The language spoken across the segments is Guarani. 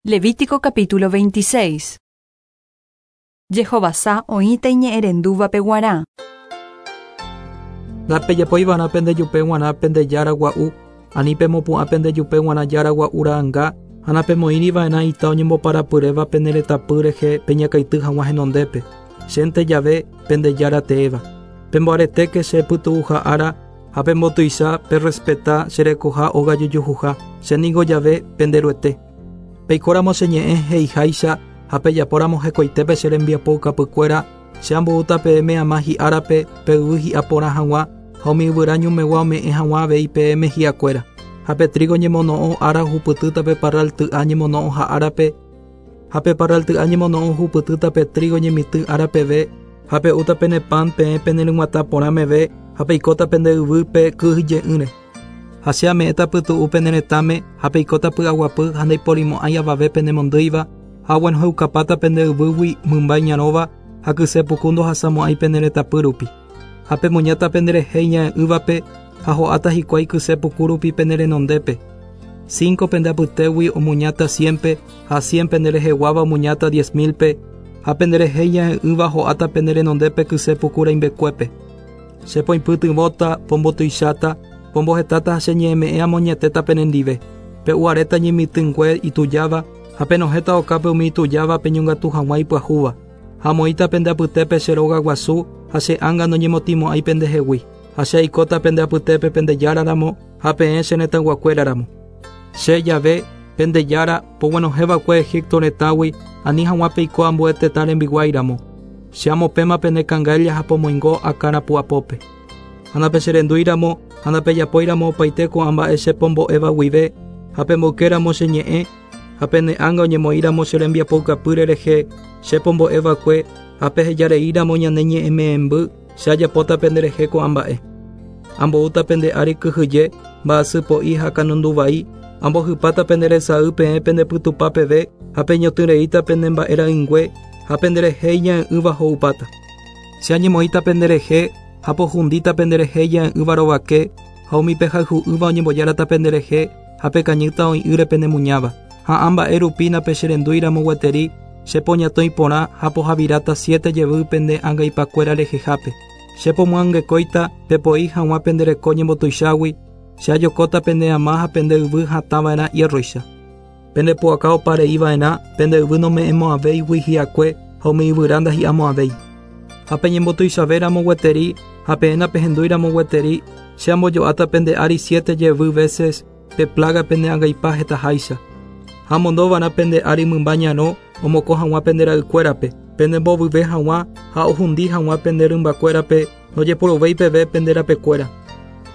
Levítico capítulo 26. Jehovasa oĩta iñe'ẽrendúvape guarã. Ndapejapoiva'erã pende jupe g̃uarã pende jára gua'u, ani pemopu'ã pende jupe g̃uarã jára gua'u ra'anga, ha napemoĩriva'erã ita oñemboparapyréva pene retãpy rehe peñakãity hag̃ua henondépe, chénte jave pende Jára teéva. Pemboaretéke che pytu'uha ára ha pembotuicha perrespeta che rekoha óga jojuhuha, che ningo jave pende Ruete. Peikóramo che ñe'ẽ he'iháicha ha pejapóramo hekoitépe che rembiapoukapykuéra, che amboúta peẽme ama hi'árape pe yvy hi'a porã hag̃ua ha umi yvyra ñumegua ome'ẽ hag̃ua avei peẽme hi'akuéra. Ha pe trígo ñemono'õ ára ohupytýta pe parral ty'a ñemono'õha árape, ha pe parral ty'a ñemono'õ ohupytýta pe trígo ñemitỹ ára peve, ha pe'úta pene pan peẽ peneryg̃uatã porã meve ha peikóta pende yvýpe kyhyje'ỹre. Ha che ame'ẽta pytu'u pene retãme ha peikóta py'aguapy ha ndaiporimo'ãi avave penemondýiva, ha oguenohẽukapáta pende yvýgui mymba iñarõva ha kyse puku ndohasamo'ãi pene retãpy rupi. Ha pemuñáta penderehe iñae'ỹvape ha ho'áta hikuái kyse puku rupi pene renondépe. Cinco pende apytégui omuñáta ciénpe ha cien pende reheguáva omuñáta diez mílpe, ha penderehe iñae'ỹva ho'áta pene renondépe kyse puku rãimbekuépe. Che poipytyvõta, pombotuicháta, pombohetáta ha che ñe'ẽme'ẽ amoñetéta penendive. Pe'u aréta ñemitỹngue itujáva ha penohẽta okápe umi itujáva peñongatu hag̃ua ipyahúva. Ha amoĩta pende apytépe che róga guasu ha che ánga noñemotĩmo'ãi pendehegui. Ha che aikóta pende apytépe pende Jára ramo ha peẽ che retãyguakuéra ramo. Che, Yahvé, pende Jára, poguenohẽ va'ekue Egipto retãgui ani hag̃ua peiko ambue tetã rembiguái ramo. Che amopẽma pene kangáilla ha pomoingo akã rapu'apópe. Ha ndapecherendúi ramo ha ndapejapói ramo opaite ko'ã mba'e che pombo'éva guive, ha pemboyke ramo che ñe'ẽ, ha pene ánga oñemoĩ ramo che rembiapoukapýre rehe che pombo'e va'ekue, ha peheja rei ramo ñane ñe'ẽme'ẽmby, che ajapóta pende rehe ko'ã mba'e. Amboúta pende ári kyhyje, mba'asy po'i ha kanundu vai, ambohypáta pende resay peẽ pende pytupa peve ha peñotỹ reíta pene mba'e ra'ỹingue ha pende rehe iñae'ỹva ho'upáta. Che añemoĩta pende rehe ha pohundíta pende rehe iñae'ỹva rovake ha umi pehayhu'ỹva oñembojárata pende rehe ha pekañýta oĩ'ỹre pene muñáva. Ha ã mba'e rupi napecherendúi ramo gueteri, che poñatõi porã ha pohaviráta siete jevy pende angaipakuéra rehehápe. Che pomyangekóita pepoi hag̃ua pende reko ñembotuichágui, che ajokóta pende ama ha pende yvy hatã va'erã iérroicha. Pende pu'aka opa rei va'erã, pende yvy nome'ẽmo'ãvéigui hi'akue ha umi yvyra ndahi'amo'ãvéi. Ha peñembotuichave ramo gueteri ha peẽ napehendúi ramo gueteri, che ambojo'áta pende ári siete jevy veces pe plága pene angaipa hetaháicha. Ha amondo va'erã pende ári mymba ñarõ omokõ hag̃ua pende ra'ykuérape, pende mbovyve hag̃ua ha ohundi hag̃ua pende rymbakuérape ndojeporuvéi peve pende rapekuéra.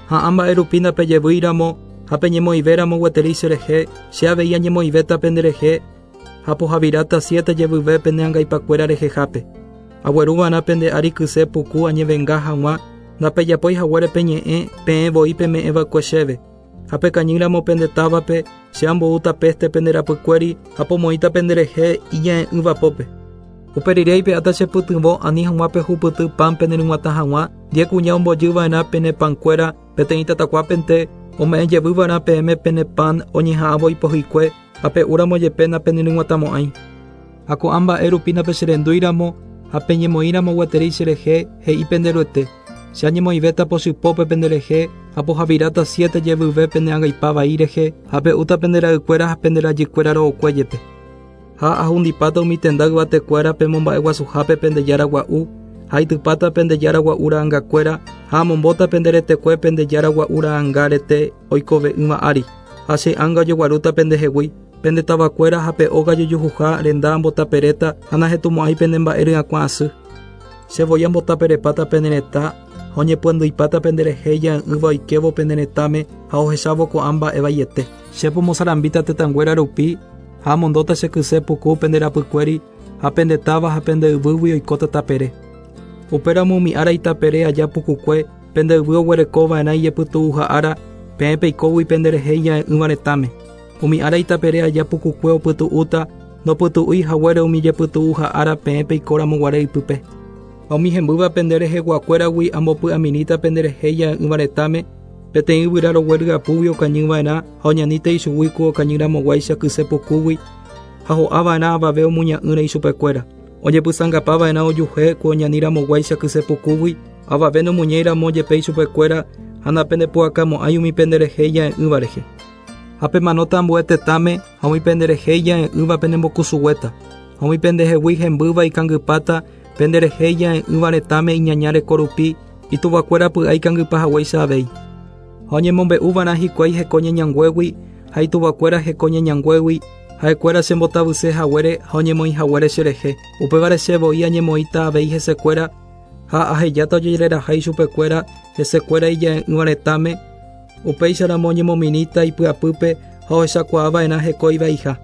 Ha ã mba'e rupi ndapejevýi ramo ha peñemoĩve ramo gueteri cherehe, che avei añemoĩvéta penderehe ha pohaviráta siete jevyve pene angaipakuéra rehehápe. Agueru va'erã pende ári kyse puku añevenga hag̃ua ndapejapói haguére pe ñe'ẽ peẽ voi peme'ẽ va'ekue chéve. Ha pekañýramo pende távape, che amboúta péste pende rapykuéri ha pomoĩta penderehe iñae'ỹva pópe. Upe rire aipe'áta che pytyvõ ani hag̃ua pehupyty pan peneryg̃uatã hag̃ua, diez kuña ombojy va'erã pene pankuéra peteĩ tatakuápente, ome'ẽ jevy va'erã peẽme pene pan oñeha'ãvo ipohyikue ha pe'úramo jepe napeneryg̃uatãmo'ãi. Ha ko'ã mba'e rupi napecherendúiramo ha peñemoĩramo gueteri cherehe, he'i pende Ruete, Che añemoĩvéta pochypópe penderehe ha pohaviráta siete jevyve pene angaipa vai rehe ha pe'úta pende ra'ykuéra ha pende rajykuéra ro'okue jepe. Ha ahundipáta umi tenda yvatekuéra pemomba'eguasuhápe pende jára gua'u, ha aitypáta pende jára gua'u ra'angakuéra, ha amombóta pende retekue pende jára gua'u ra'anga rete oikove'ỹva ári, ha che ánga ojeguarúta pendehegui, pende tavakuéra ha pe óga jojuhuha renda ambotaperéta ha nahetumo'ãi pene mba'e ryakuã asy. Che voi ambotaperepáta pene retã ha oñepyandýipáta penderehe ija'e'ỹva oikévo pene retãme ha ohechávo ko'ã mba'e vaiete. Che pomosarambíta tetãnguéra rupi ha amondóta che kyse puku pende rapykuéri ha pende táva ha pende yvýgui oikóta tapere. Upéramo umi ára itapere aja pukukue pende yvy oguereko va'erã ijepytu'uha ára, peẽ peikógui penderehe ija'e'ỹva retãme. Umi ára itapere aja pukukue opytu'úta, ndopytu'úi haguére umi jepytu'uha ára peẽ peikóramo guare ipype. Ha umi hembýva pende reheguakuéragui ambopy'amirĩta penderehe ija'e'ỹva retãme, peteĩ yvyra rogue ryapúgui okañy va'erã ha oñaníta ichugui ku okañy ramoguáicha kyse pukúgui. ha ho'ava'erã avave omuña'ỹre ichupekuéra. Oñepysãngapava'erã ojuhe ku oñaniramoguáicha kysepukúgui, avave nomuñéiramo jepe ichupekuéra ha napendepu'akamo'ãi umi penderehe ija'e'ỹva rehe. Ha pemanóta ambue tetãme ha umi penderehe ija'e'ỹva penembokusuguéta, ha umi pendehegui hembýva ikangypáta penderehe ija'e'ỹva retãme iñaña reko rupi, ituvakuéra py'a ikangypa haguéicha avei. Ha oñemombe'uva'erã hikuái heko ñeñanguégui ha ituvakuéra heko ñeñanguégui, ha'ekuéra chembotavyse haguére ha oñemoĩ haguére cherehe. Upévare che voi añemoĩta avei hesekuéra ha ahejáta ojereraha ichupekuéra hesekuéra ija'e'ỹva retãme, upéicharamo oñemomirĩta ipy'apýpe ha ohechakuaava'erã heko ivaiha.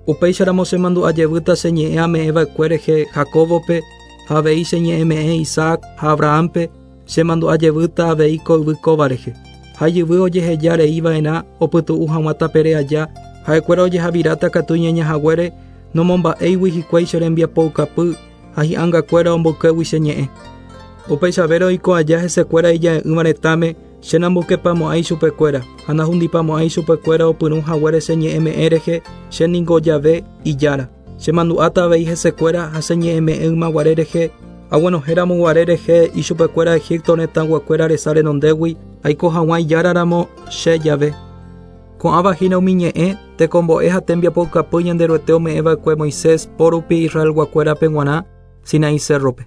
Upéicharamo chemandu'ajevýta che ñe'ẽ ame'ẽva'ekue rehe Jacóbope ha avei che ñe'ẽme'ẽ Isaac ha Abrahámpe, chemandu'ajevýta avei ko yvy kóva rehe. Ha ijyvy ojeheja rei va'erã opytu'u hag̃ua tapere aja, ha'ekuéra ojehaviráta katu iñaña haguére nomomba'éigui hikuái che rembiapoukapy ha hi'angakuéra omboykégui che ñe'ẽ. Upeichavérõ oiko aja hesekuéra ija'e'ỹva retãme, che namboykepamo'ãi chupekuéra ha nahundipamo'ãi chupekuéra opyrũ haguére che ñe'ẽme'ẽ rehe, che ningo Jahve, Ijára. Chemandu'áta avei hesekuéra ha che ñe'ẽme'ẽ ymaguare rehe, aguenohẽramo guare rehe ichupekuéra Egipto retãguakuéra resa renondégui, aiko hag̃ua Ijára ramo, che, Jahve. Ko'ãva hína umi ñe'ẽ, tekombo'e ha tembiapoukapy Ñanderuete ome'ẽva'ekue Moisés po rupi Israelguakuérape g̃uarã Sinaí cérrope.